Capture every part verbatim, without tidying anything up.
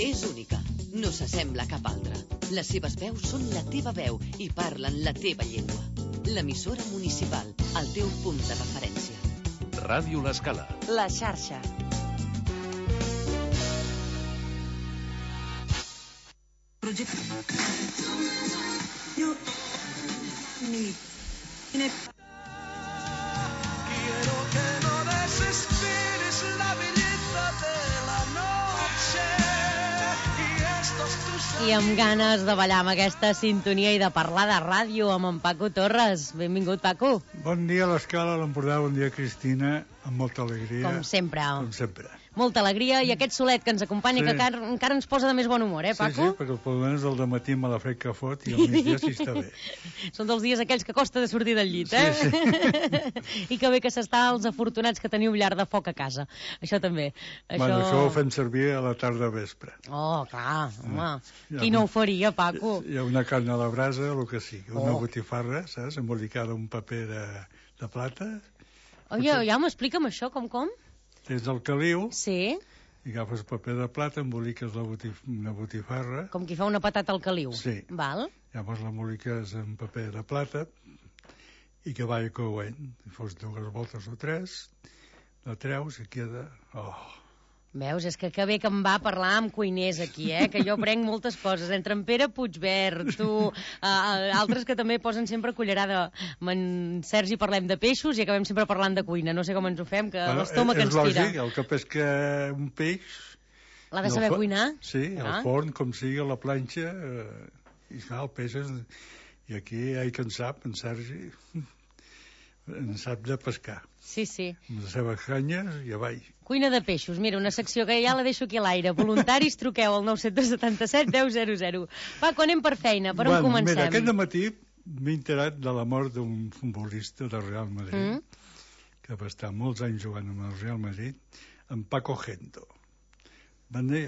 És única, no s'assembla a cap altra. Les seves veus són la teva veu i parlen la teva llengua. L'emissora municipal, el teu punt de referència. Ràdio L'Escala. La xarxa. Quiero que no desesperes la belleza de la noche y estos tus... I amb ganes de ballar amb aquesta sintonia i de parlar de ràdio amb en Paco Torres. Benvingut, Paco. Bon dia a l'Escala, a l'Empordà, bon dia, Cristina, amb molta alegria. Com sempre. Com sempre. Molta alegria i aquest solet que ens acompanya, Sí. que encara, encara ens posa de més bon humor, eh, Paco? Sí, sí, perquè pel menys del dematí me la fred que fot i al migdia sí està bé. Són dels dies aquells que costa de sortir del llit, eh? Sí, sí. I que bé que s'està els afortunats que teniu llar de foc a casa. Això també. Això... Bueno, això ho fem servir a la tarda vespre. Oh, clar, home. Ja, Qui no ho faria, Paco? Hi ha una carn a la brasa, el que sigui, una Oh. botifarra, saps? Embolicada en un paper de, de plata. Oh, ja, ja m'explica'm això, com, com? Tens el caliu, Sí, i agafes paper de plata, emboliques la botif una botifarra, com qui fa una patata al caliu. Sí. Val? llavors l'emboliques en paper de plata i que vagi coent. I fos dues voltes o tres, la treus i queda... Oh. Veus, és que que bé que em va parlar amb cuiners aquí, eh? Que jo aprenc moltes coses, entre en Pere Puigverd, tu, uh, altres que també posen sempre cullerada. Amb en Sergi parlem de peixos i acabem sempre parlant de cuina. No sé com ens ho fem, que Bueno, l'estómac és ens tira. lògic, el que és que un peix... L'ha de no saber fa- cuinar? Sí, Ah. al forn, com sigui, a la planxa, eh, i clar, el peix és... I aquí hi ha qui en sap, en Sergi, en sap de pescar. Sí, sí. Amb les seves canyes i avall. Cuina de peixos, mira, una secció que ja la deixo aquí a l'aire. Voluntaris, truqueu al nou set set set deu zero zero. Paco, anem per feina, per on bueno, comencem? Mira, aquest matí m'he enterat de la mort d'un futbolista del Real Madrid, Mm? que va estar molts anys jugant amb el Real Madrid, en Paco Gento. Va, ne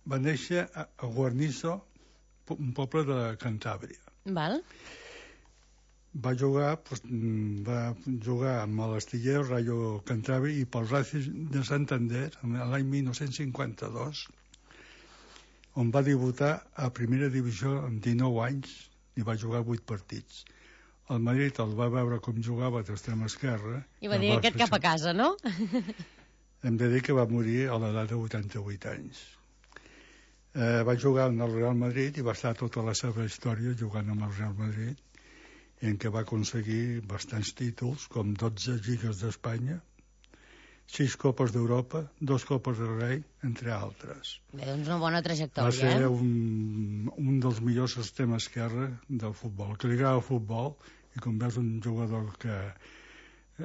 va néixer a, a Guarnizo, un poble de Cantàbria. Val? Va jugar, pues, va jugar amb l'Astillero, Rayo Cantàbria i pel Racing de Santander l'any mil nou-cents cinquanta-dos, on va debutar a primera divisió amb dinou anys i va jugar vuit partits. El Madrid el va veure com jugava d'extrem esquerra. I va el dir aquest cap a casa, no? Hem de dir que va morir a l'edat de vuitanta-vuit anys. Eh, va jugar en el Real Madrid i va estar tota la seva història jugant amb el Real Madrid, en què va aconseguir bastants títols, com dotze lligues d'Espanya, sis copes d'Europa, dos copes de rei, entre altres. Bé, doncs una bona Va trajectòria, ser eh? un, un dels millors extrem esquerra del futbol, que li agrada el futbol, i com veus un jugador que...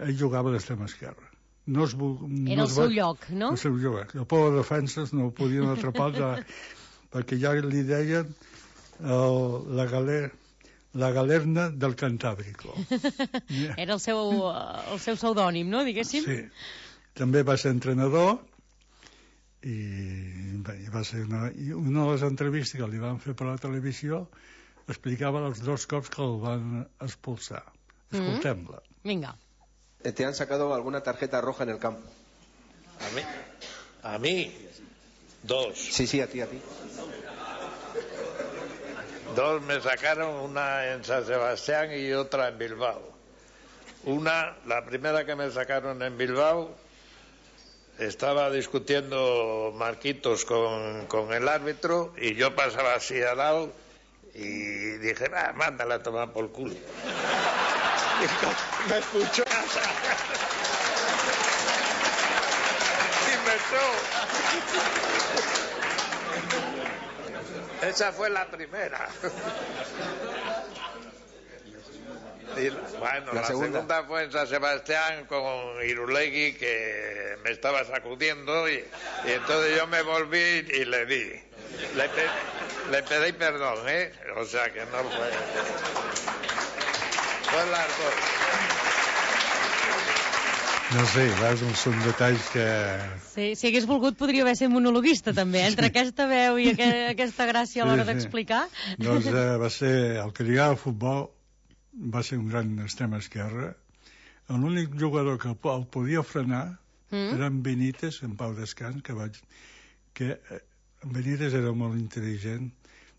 Ell jugava d'extrem esquerra. No es, no Era el es seu va... lloc, no? El seu lloc. El poble de defenses no ho podien atrapar, ja, perquè ja li deien el, la galera la galerna del Cantàbrico. Era el seu, el seu pseudònim, no, diguéssim? Sí. També va ser entrenador i, bé, va ser una, i una de les entrevistes que li van fer per la televisió explicava els dos cops que el van expulsar. Escoltem-la. Mm. Vinga. ¿Te han sacado alguna tarjeta roja en el campo? ¿A mí? ¿A mí? Dos. Sí, sí, a ti, a ti. Dos me sacaron, una en San Sebastián y otra en Bilbao. Una, la primera que me sacaron en Bilbao, estaba discutiendo Marquitos con, con el árbitro y yo pasaba así al lado y dije, ah, mándala a tomar por culo. Y me escuchó y me echó. Esa fue la primera. Y, bueno, la, la segunda. segunda fue en San Sebastián con Irulegui, que me estaba sacudiendo y, y entonces yo me volví y le di. Le, pe le pedí perdón, ¿eh? O sea que no fue... Fue las dos. No sé, veus, són detalls que... Sí, si hagués volgut podria haver ser monologuista també, entre sí. aquesta veu i aqu aquesta gràcia a l'hora Sí, sí. d'explicar. Doncs eh, va ser el que li agrada al futbol, va ser un gran extrem esquerra. L'únic jugador que el podia frenar Mm. era en Benítez, en Pau Descans, que, vaig, que eh, en Benítez era molt intel·ligent,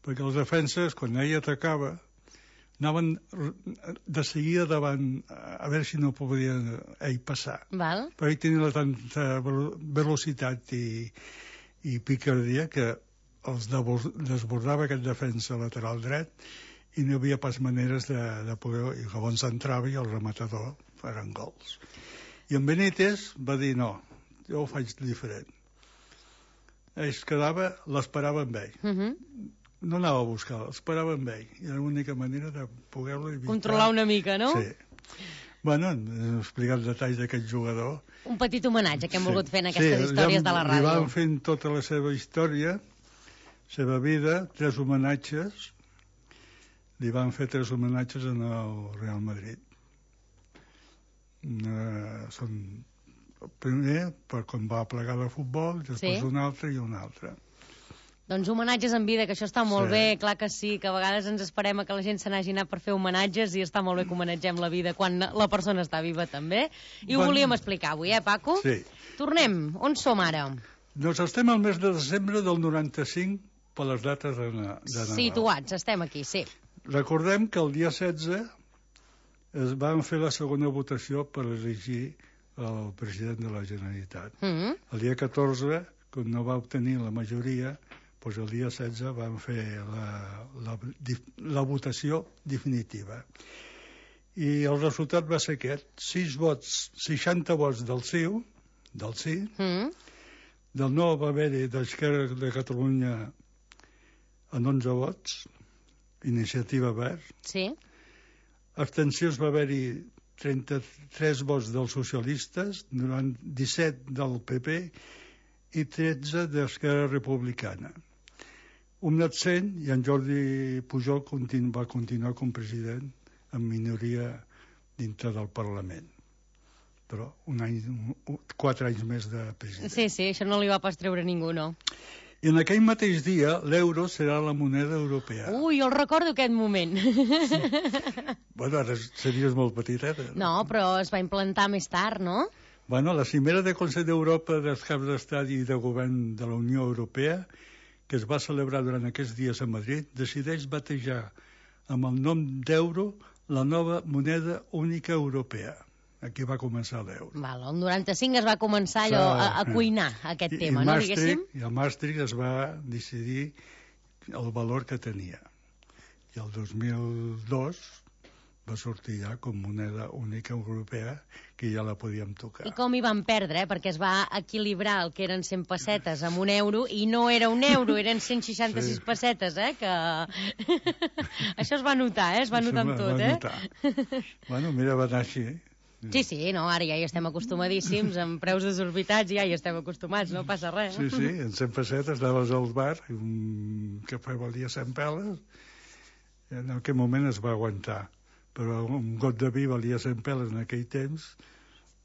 perquè els defenses, quan ell atacava, anaven de seguida davant, a veure si no podia ell passar. Val. Però ell tenia tanta velocitat i, i picardia que els desbordava aquest defensa lateral dret i no hi havia pas maneres de, de poder... I llavors entrava i el rematador eren gols. I en Benítez va dir no, jo ho faig diferent. Ell es quedava, l'esperava amb ell. Uh -huh. No anava a buscar, l'esperava amb ell. I era l'única manera de poder-lo evitar. Controlar una mica, no? Sí. Bueno, hem explicat detalls d'aquest jugador. Un petit homenatge que hem Sí. volgut fer en aquestes Sí, històries ja de la Li ràdio. van fent tota la seva història, seva vida, tres homenatges. Li van fer tres homenatges en el Real Madrid. Uh, són el primer per quan va plegar de futbol, després Sí. un altre i un altre. Doncs homenatges en vida, que això està molt Sí. bé, clar que sí, que a vegades ens esperem a que la gent se n'hagi anat per fer homenatges i està molt bé que homenatgem la vida quan la persona està viva també. I ho Bon- volíem explicar avui, eh, Paco? Sí. Tornem. On som ara? Doncs estem al mes de desembre del noranta-cinc per les dates de, na de Nadal. Situats, estem aquí, sí. Recordem que el dia setze es van fer la segona votació per elegir el president de la Generalitat. Mm -hmm. El dia catorze, quan no va obtenir la majoria, doncs el dia setze van fer la, la, la votació definitiva. I el resultat va ser aquest: sis vots, seixanta vots del sí, del sí, Mm -hmm. del no va haver-hi d'Esquerra de Catalunya en onze vots, Iniciativa Verd, Sí. abstencions va haver-hi trenta-tres vots dels socialistes, disset del P P i tretze d'Esquerra Republicana. Un absent, i en Jordi Pujol continu, va continuar com president en minoria dintre del Parlament. Però un any, un, quatre anys més de president. Sí, sí, això no li va pas treure ningú, no. I en aquell mateix dia l'euro serà la moneda europea. Ui, jo el recordo aquest moment. Bueno, ara series molt petiteta. No, però es va implantar més tard, no? Bueno, la cimera del Consell d'Europa dels caps d'estat i de govern de la Unió Europea, que es va celebrar durant aquests dies a Madrid, decideix batejar amb el nom d'euro la nova moneda única europea. Aquí va començar l'euro. Val, el noranta-cinc es va començar allò a, a cuinar aquest I, tema, i no, Maastricht, diguéssim? I a Maastricht es va decidir el valor que tenia. I el dos mil dos va sortir ja com moneda única europea, que ja la podíem tocar. I com hi van perdre, eh? Perquè es va equilibrar el que eren cent pessetes amb un euro, i no era un euro, eren cent seixanta-sis Sí. pessetes, eh? Que... Això es va notar, eh? Es va Això notar amb va- tot, va eh? notar. Bueno, mira, va anar així. Eh? Sí, sí, no, ara ja hi estem acostumadíssims, amb preus desorbitats ja hi estem acostumats, no passa res. Sí, sí, en cent pessetes anaves al bar, i un cafè valia cent peles, i en aquell moment es va aguantar. Però un got de vi valia cent peles en aquell temps,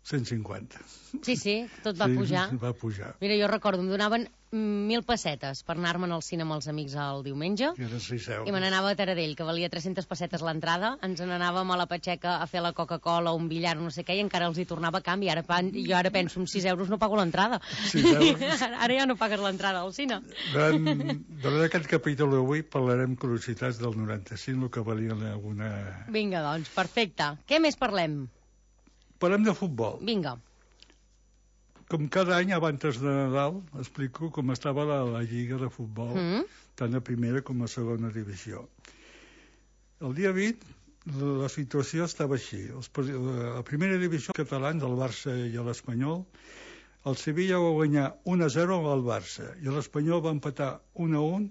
cent cinquanta. Sí, sí, tot va Sí, pujar. va pujar. Mira, jo recordo, em donaven mil pessetes per anar-me'n al cine amb els amics el diumenge, I eren sis euros. i me n'anava a Taradell, que valia tres-centes pessetes l'entrada, ens n'anàvem a la Patxeca a fer la Coca-Cola, un billar, no sé què, i encara els hi tornava a canvi. Ara, pan- jo ara penso, amb sis euros no pago l'entrada. sis euros. Ara ja no pagues l'entrada al cine. Durant, durant aquest capítol d'avui parlarem curiositats del noranta-cinc, el que valien alguna... Vinga, doncs, perfecte. Què més parlem? Parlem de futbol. Vinga. Com cada any, abans de Nadal, explico com estava la, la Lliga de Futbol, Mm. tant a primera com a segona divisió. El dia vint, la, la situació estava així. Els, pres- la primera divisió catalans, el Barça i l'Espanyol, el Sevilla va guanyar un a zero al Barça i l'Espanyol va empatar un a un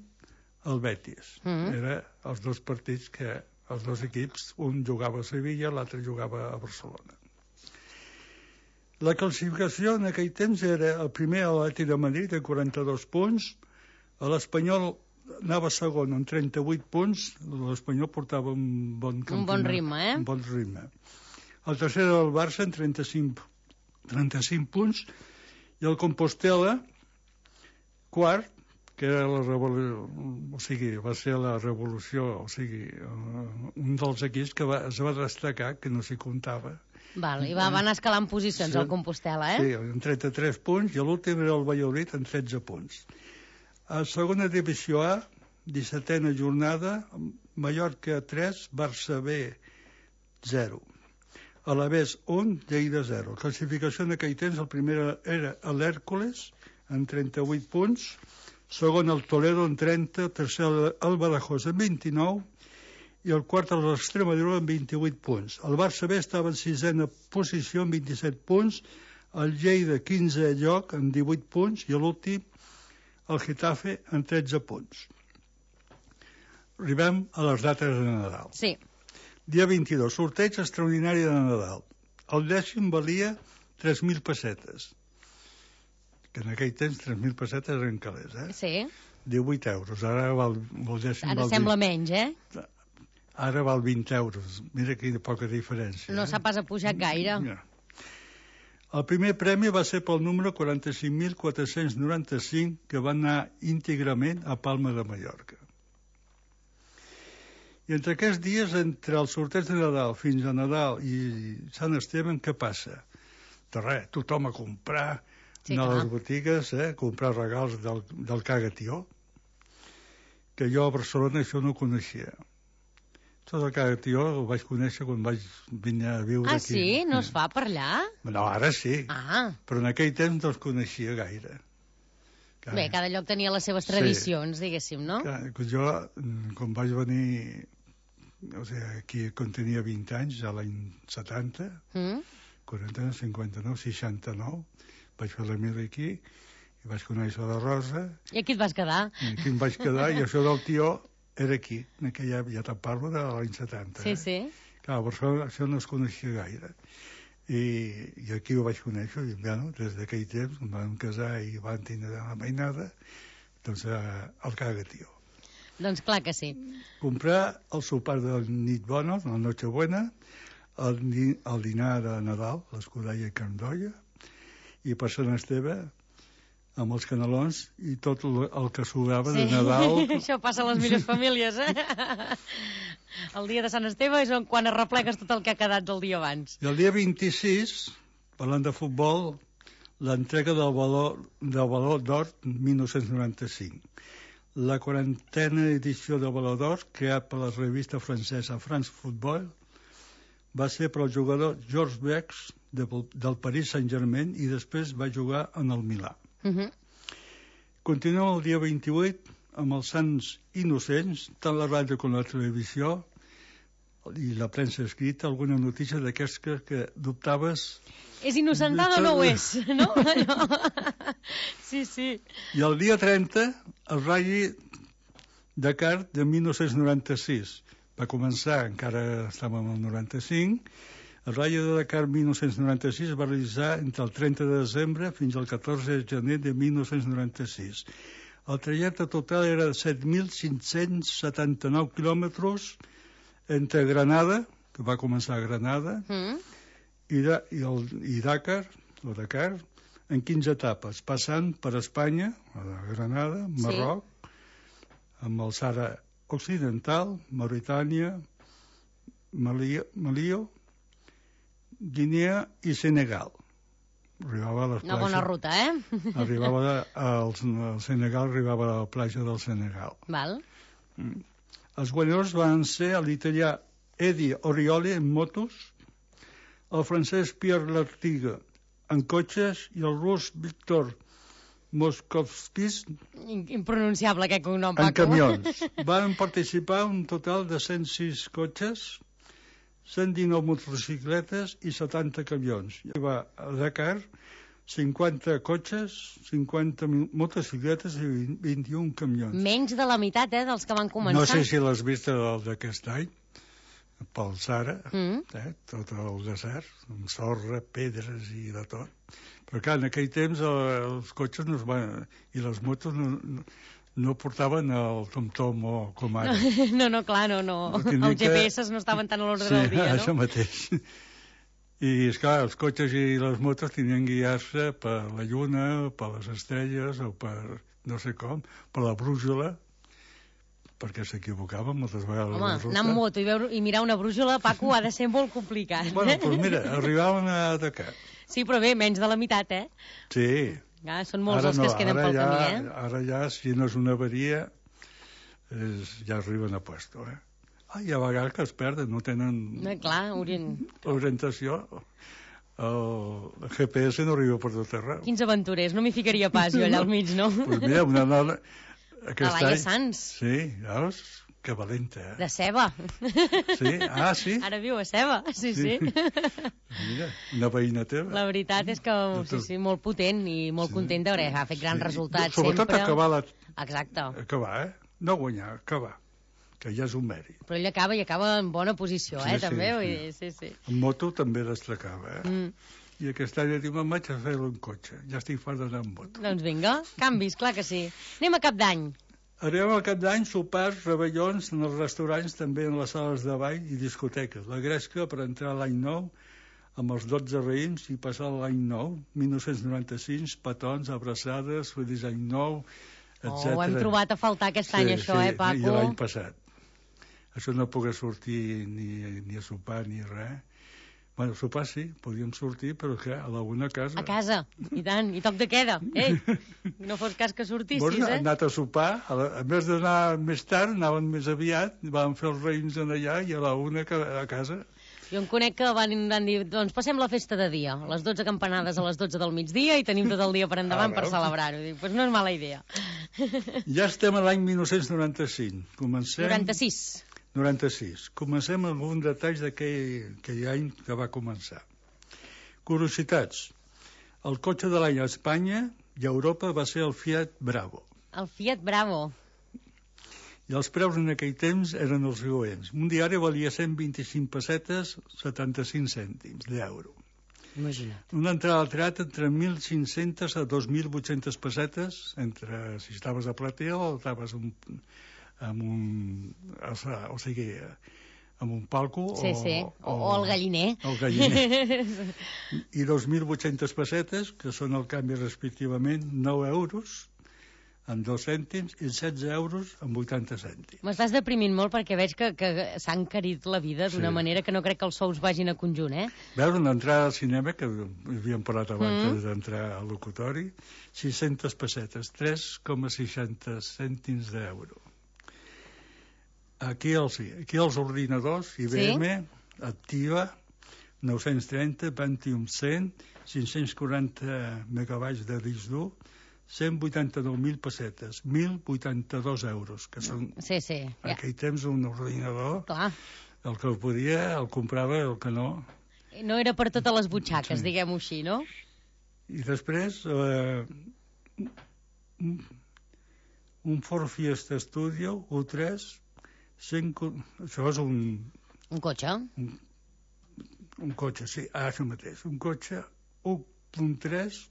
al Betis. Mm. Era els dos partits que els dos equips, un jugava a Sevilla, l'altre jugava a Barcelona. La classificació en aquell temps era el primer a l'Atlètic de Madrid amb quaranta-dos punts, l'Espanyol anava segon amb trenta-vuit punts, l'Espanyol portava un bon campionat. Un bon ritme, eh? Un bon ritme. El tercer era el Barça amb trenta-cinc, trenta-cinc punts, i el Compostela, quart, que era la revolució, o sigui, va ser la revolució, o sigui, un dels equips que va, es va destacar, que no s'hi comptava. Val, i va, va anar escalant posicions Sí. al Compostela, eh? Sí, amb trenta-tres punts, i l'últim era el Valladolid amb tretze punts. A segona divisió A, dissetena jornada, Mallorca tres, Barça B zero. Alavés un, Lleida zero. Classificació en aquell temps, el primer era l'Hèrcules, amb trenta-vuit punts, segon el Toledo amb trenta, tercer el Badajoz amb vint-i-nou, i el quart l'Extremadura amb vint-i-vuit punts. El Barça B estava en sisena posició amb vint-i-set punts, el Lleida quinze lloc amb divuit punts, i l'últim, el Getafe, amb tretze punts. Arribem a les dates de Nadal. Sí. Dia vint-i-dos, sorteig extraordinari de Nadal. El dècim valia tres mil pessetes, que en aquell temps tres mil pessetes eren calés, eh? Sí. divuit euros, ara val, el dècim Ara val sembla vint. menys, eh? Ara val vint euros. Mira quina poca diferència. No eh? s'ha pas pujat gaire. Ja. El primer premi va ser pel número quaranta-cinc mil quatre-cents noranta-cinc, que va anar íntegrament a Palma de Mallorca. I entre aquests dies, entre el sorteig de Nadal fins a Nadal i Sant Esteve, què passa? De res, tothom a comprar, Sí, anar a clar. les botigues, eh, comprar regals del, del Cagatió, que jo a Barcelona això no coneixia. Tot el Cagatió el vaig conèixer quan vaig venir a viure Ah, aquí. sí? No es fa per allà? No, ara sí, Ah, però en aquell temps no els coneixia gaire. Clar, bé, cada lloc tenia les seves Sí. tradicions, diguéssim, no? clar, jo, mm, quan vaig venir, o sigui, aquí quan tenia vint anys, a l'any setanta, Mm? quaranta, cinquanta-nou, seixanta-nou, vaig fer la mili aquí, i vaig conèixer la Rosa, I aquí et vas quedar. i aquí em vaig quedar, i això del tió era aquí, en aquella, ja te'n parlo de l'any setanta. Sí, eh? sí. Clar, a Barcelona això no es coneixia gaire. I, i aquí ho vaig conèixer, i bueno, des d'aquell temps em vam casar i van tindre la mainada, doncs eh, el Cagatió. Doncs clar que sí. Comprar el sopar de nit bona, la Nochebuena, el, ni- el dinar de Nadal, l'escudella i carn d'olla, i per Sant Esteve amb els canelons i tot el, el que sobrava Sí. de Nadal. Això passa a les millors famílies, eh? El dia de Sant Esteve és on quan arreplegues tot el que ha quedat del dia abans. I el dia vint-i-sis, parlant de futbol, l'entrega del valor del valor d'or mil nou-cents noranta-cinc. La quarantena edició del Valor d'Or, creat per la revista francesa France Football, va ser per al jugador Georges Bex de, del Paris Saint-Germain i després va jugar en el Milà. Uh -huh. Continuem el dia vint-i-vuit amb els Sants Innocents, tant la ràdio com la televisió i la premsa escrita, alguna notícia d'aquests que, que dubtaves. És innocentada o no ho és? No? Allò. Sí, sí. I el dia trenta, el Rally Dakar de mil nou-cents noranta-sis. Va començar, encara estàvem al noranta-cinc, el Rally de Dakar mil nou-cents noranta-sis es va realitzar entre el trenta de desembre fins al catorze de gener de mil nou-cents noranta-sis. El trajecte total era de set mil cinc-cents setanta-nou quilòmetres entre Granada, que va començar a Granada, Mm. i, da, i, el, i Dakar, o Dakar, en quinze etapes, passant per Espanya, a la Granada, Marroc, sí. amb el Sàhara Occidental, Mauritània, Malio, Malio, Guinea i Senegal. Arribava a les Una bona plages- ruta, eh? Arribava al, al Senegal, arribava a la platja del Senegal. Val. Els guanyadors van ser l'italià Eddie Orioli en motos, el francès Pierre Lartigue en cotxes i el rus Víctor Moskovskis In- Impronunciable, aquest cognom, en Paco. camions. Van participar un total de cent sis cotxes, cent dinou motocicletes i setanta camions. I va a Dakar cinquanta cotxes, cinquanta motocicletes i vint-i-un camions. Menys de la meitat, eh, dels que van començar. No sé si l'has vist el d'aquest any, pel Sàhara, Mm. eh, tot el desert, amb sorra, pedres i de tot. Però clar, en aquell temps eh, els cotxes no es van, i les motos no, no, no portaven el tom-tom o com ara. No, no, clar, no, no. Perquè ni Els que- G P S no estaven tan a l'ordre Sí, del dia, això no? mateix. I, esclar, els cotxes i les motos tenien que guiar-se per la lluna, per les estrelles o per, no sé com, per la brújula, perquè s'equivocaven moltes vegades. Home, la ruta. anar amb moto i, veure, i mirar una brújula, Paco, ha de ser molt complicat. Bueno, doncs mira, arribaven a Dakar. Sí, però bé, menys de la meitat, eh? Sí, Ah, són molts Ara els no, que es queden ara pel ja, camí, eh? Ara ja, si no és una avaria, és, ja arriben a puesto, eh? Ah, hi ha vegades que es perden, no tenen No, clar, orient... orientació. El G P S no arriba per tot arreu. Quins aventurers, no m'hi ficaria pas jo allà al mig, no? Pues mira, una dona... Aquest A Laia any... Sanz. Sí, veus? Que valenta, eh? De ceba. Sí? Ah, sí? Ara viu a ceba, sí, sí. Sí. Mira, una veïna teva. La veritat és que, sí, sí, molt potent i molt Sí. content d'haver ha fet grans Sí. resultats Sobretot sempre. acabar la... Exacte. Acabar, eh? No guanyar, acabar. Que ja és un mèrit. Però ell acaba i acaba en bona posició, Sí, eh, sí, també. sí. Vull dir, sí, sí. En moto també destacava, eh? Mm. I aquest any diu, me'n vaig a fer-ho en cotxe. Ja estic fart d'anar en moto. Doncs vinga, canvis, clar que sí. Anem a cap d'any. Arribem al cap d'any, sopars, rebellons en els restaurants, també en les sales de ball i discoteques. La gresca per entrar a l'any nou amb els dotze raïms i passar l'any nou, mil nou-cents noranta-sis, petons, abraçades, feliç any nou, etcètera. Oh, ho hem trobat a faltar aquest any, això, eh, Paco? I l'any passat. Això no pogués sortir ni, ni a sopar ni res. Bueno, a sopar sí, podíem sortir, però que a la una a casa. A casa, i tant, i toc de queda. Ei, no fos cas que sortissis, Bueno, eh? hem anat a sopar, a, la, a més d'anar més tard, anaven més aviat, vam fer els raïms en allà i a la una a casa. Jo en conec que van, van dir, doncs passem la festa de dia, les dotze campanades a les dotze del migdia i tenim tot el dia per endavant Ah, per veus? celebrar-ho. Dic, doncs no és mala idea. Ja estem a l'any mil nou-cents noranta-cinc. Comencem... noranta-sis. noranta-sis. Comencem amb alguns detalls d'aquell aquell any que va començar. Curiositats. El cotxe de l'any a Espanya i a Europa va ser el Fiat Bravo. El Fiat Bravo. I els preus en aquell temps eren els següents. Un diari valia cent vint-i-cinc pessetes, setanta-cinc cèntims d'euro. Imagina't. Una entrada al teatre entre mil cinc-centes a dos mil vuit-centes pessetes, entre si estaves a platea o estaves un, amb un... o sigui, amb un palco Sí, o, sí, o, o el galliner. El galliner. I dos mil vuit-centes pessetes, que són el canvi respectivament nou euros amb dos cèntims i setze euros amb vuitanta cèntims. M'estàs deprimint molt perquè veig que, que s'ha encarit la vida d'una Sí. manera que no crec que els sous vagin a conjunt, eh? Veus, una entrada al cinema, que havíem parlat abans Mm. d'entrar al locutori, sis-centes pessetes, tres coma seixanta cèntims d'euro. Aquí els, aquí els ordinadors, I B M, sí? Activa, nou-cents trenta, Pentium cent, cinc-cents quaranta megabytes de disc dur, cent vuitanta-nou mil pessetes, mil vuitanta-dos euros, que són Sí, sí. en Ja. aquell temps un ordinador, Clar. el que el podia el comprava, el que no. No era per totes les butxaques, Sí. diguem-ho així, no? I després eh, un, un Ford Fiesta Studio U tres, cent, això és un, Un cotxe. un cotxe, sí, ah, això mateix, un cotxe u punt tres,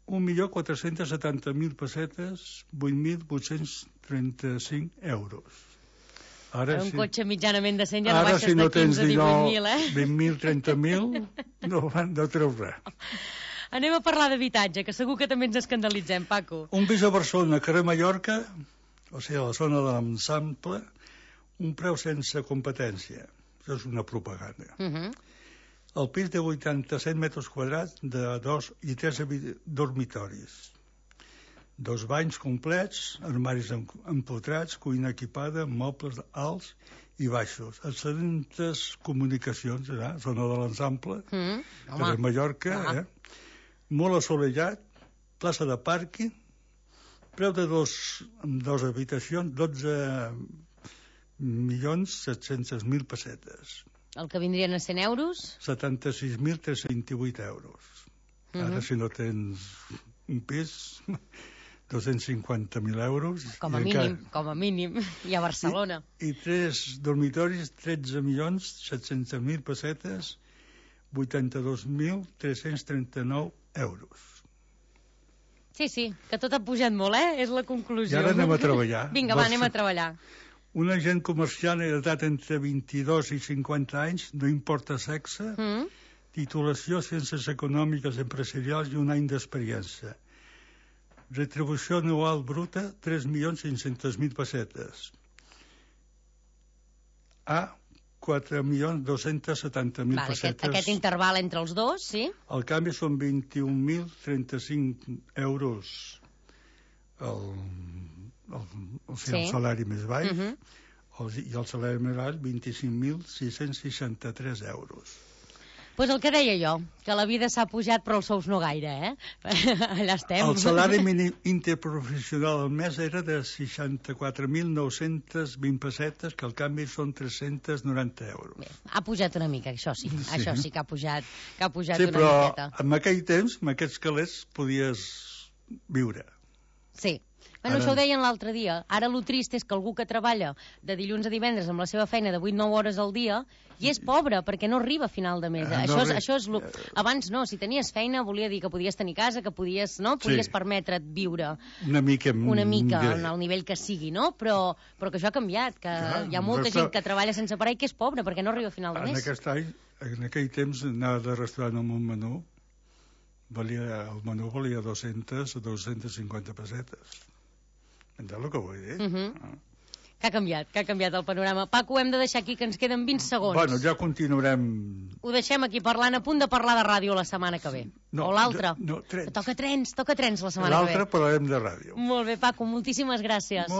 un milió quatre-cents setanta mil pessetes, vuit mil vuit-cents trenta-cinc euros. Ara, un sí, cotxe mitjanament decent ja no ara baixes si no de tens quinze a divuit mil, eh? vint mil, trenta mil, no, van- no treus res. Anem a parlar d'habitatge, que segur que també ens escandalitzem, Paco. Un pis a Barcelona, carrer Mallorca, o sigui, a la zona de l'Ensample, un preu sense competència. Això és una propaganda. Uh -huh. El pis de vuitanta-set metres quadrats de dos i tres dormitoris. Dos banys complets, armaris empotrats, cuina equipada, mobles alts i baixos. Excel·lentes comunicacions, eh? Zona de l'Ensample, Mm -hmm. carrer Mallorca, Ah. eh? Molt assolellat, plaça de pàrquing, preu de dos, dos habitacions, dotze milions set-cents mil pessetes. El que vindrien a cent euros? setanta-sis mil tres-cents divuit euros. Mhm. Ara, si no tens un pis, dos-cents cinquanta mil euros. Com a i mínim, encara- com a mínim. I a Barcelona. I, i tres dormitoris, tretze milions set-cents mil pessetes, vuitanta-dos mil tres-cents trenta-nou euros. Sí, sí, que tot ha pujat molt, eh? És la I conclusió. ara anem a treballar. Vinga, va, Vols- anem a treballar. Un agent comercial d'edat entre vint-i-dos i cinquanta anys, no importa sexe, Mm? titulació, ciències econòmiques, empresarials i un any d'experiència. Retribució anual bruta, tres milions cinc-cents mil pessetes. A, quatre milions dos-cents setanta mil Vale, aquest, pessetes. aquest interval entre els dos, sí? El canvi són vint-i-un mil trenta-cinc euros el, el, o sigui, Sí. el salari més baix, Mhm. el, i el salari més alt vint-i-cinc mil sis-cents seixanta-tres euros. Pues el que deia jo, que la vida s'ha pujat però els sous no gaire, eh? Allà estem. El salari mínim interprofessional al mes era de seixanta-quatre mil nou-cents vint pessetes, que al canvi són tres-cents noranta euros. Bé, ha pujat una mica, això sí. Sí. Això sí que ha pujat, que ha pujat Sí, una però miqueta. en aquell temps, amb aquests calés, podies viure. Sí. Bueno, Ara- això ho deien l'altre dia. Ara lo trist és que algú que treballa de dilluns a divendres amb la seva feina de vuit nou hores al dia i és pobre perquè no arriba a final de mes. Ah, no això, és, arri- això és lo... Abans no, si tenies feina volia dir que podies tenir casa, que podies, no? podies Sí. permetre't viure Una mica... una mica millor. en el nivell que sigui, no? Però, però que això ha canviat, que Clar, hi ha molta però gent que treballa sense parar i que és pobre perquè no arriba a final de En mes. aquest any, en aquell temps, anar de restaurant amb un menú, valia, el menú valia dos-centes o dos-centes cinquanta pessetes. Entens el que vull dir? Mhm. Ah. Que ha canviat, que ha canviat el panorama. Paco, ho hem de deixar aquí, que ens queden vint segons. Bueno, ja continuarem... Ho deixem aquí parlant, a punt de parlar de ràdio la setmana que ve. No, o l'altra. no, trens. Toca trens, toca trens la setmana que ve. L'altre parlarem de ràdio. Molt bé, Paco, moltíssimes gràcies. Molt